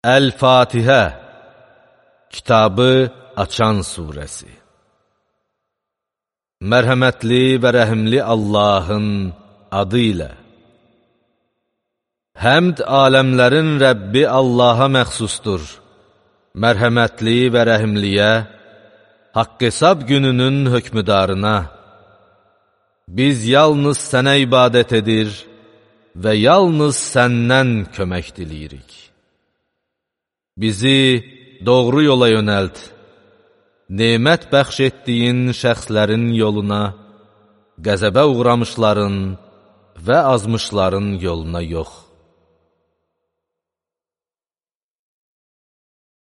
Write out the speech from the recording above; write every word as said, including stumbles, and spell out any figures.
Əl-Fatihə, kitabı açan surəsi. Mərhəmətli və rəhimli Allahın adı ilə. Həmd aləmlərin Rəbbi Allaha məxsusdur. Mərhəmətli və rəhimliyə, haqq-hesab gününün hökmüdarına. Biz yalnız sənə ibadət edir və yalnız səndən kömək diləyirik. Bizi doğru yola yönəlt, nemət bəxş etdiyin şəxslərin yoluna, qəzəbə uğramışların və azmışların yoluna yox.